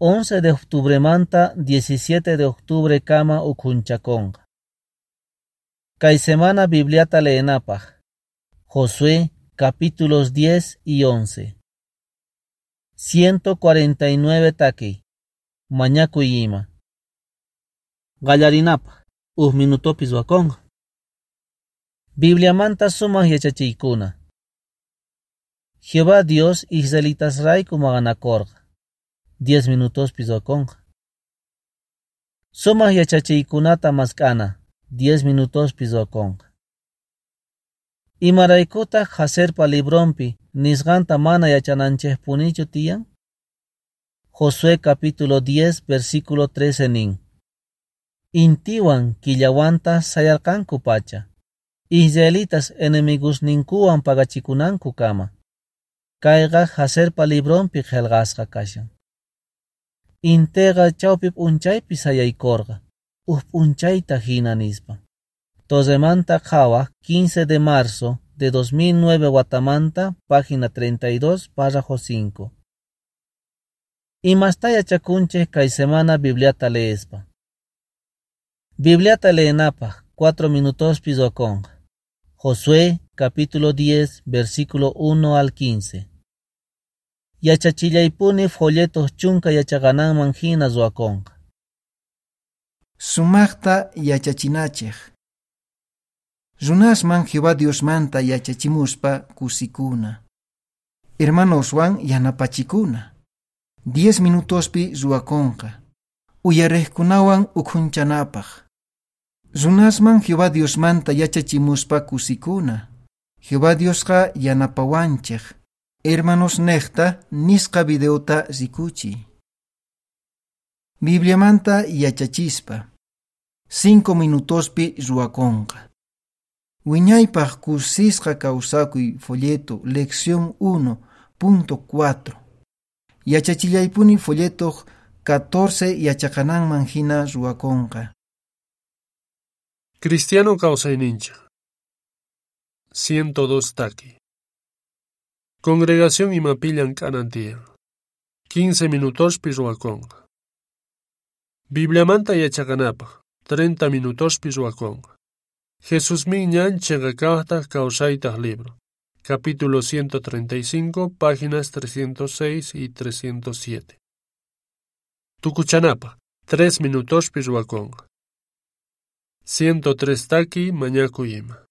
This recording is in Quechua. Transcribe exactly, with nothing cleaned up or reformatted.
once de octubremanta diecisiete de octubre kama ukhunchakonqa. Kay semana Bibliata leenapaq. Josué capítulos diez y once. ciento cuarenta y nueve taki. Mañakuy ima. Qallarinapaq, huk minutopis wakonqa. Bibliamanta sumaq yachachiykuna. Jehová Dios israelitasrayku maqanakurqa. Diez minutospis wakonqa. Sumaq yachachiykunata mask'ana. Diez minutospis wakonqa. Imaraykutaq Jaserpa libronpi nisqanta mana yachananchikpunichu tiyan? Josué capítulo diez versículo trece nin. Intiwan killawanta sayarqanku pacha. Israelitas enemigosninkuwan pagachikunanku kama. Kayqa Jaserpa libronpi qillqasqa kashan. Intiqa chawpi p'unchaypi sayaykurqa, huk p'unchayta hina nispa. Torremanta qhawaq quince de marzo de dos mil nueve watamanta, página treinta y dos, párrafo cinco. Imasta yachakunchik kay semana Bibliata leespa. Bibliata leenapaq cuatro minutospi ruwakonqa. Josué capítulo diez, versículo uno al quince. Yachachillaypuni folletos chunka yachaqananman hina ruwakonqa. Sumaqta yachachinachik. Runasman Jehová Diosmanta yachachimuspa kusikuna. Hermanoswan yanapachikuna. Diez minutospi ruwakonqa. Uyariqkunawan ukhunchanapaq. Runasman Jehová Diosmanta yachachimuspa kusikuna. Jehová Diosqa yanapawanchik. Hermanos neqta nisqa videota rikuchiy. Bibliamanta yachachispa. Cinco minutospi ruwakonqa. Wiñaypaq kusisqa kawsakuy folleto lección uno punto cuatro. Yachachillaypuni folleto catorce yachaqananman hina ruwakonqa. Cristiano kawsayninchik. ciento dos taki. Congregación imapi llank'anan tiyan. quince minutospi ruwakonqa. Bibliamanta yachaqanapaq treinta minutospi ruwakonqa. Jesusmin ñan chiqa kaqtaq kawsaytaq libro. Capítulo ciento treinta y cinco, páginas trescientos seis y trescientos siete. Tukuchanapaq tres minutospi ruwakonqa. ciento tres taki mañakuy ima.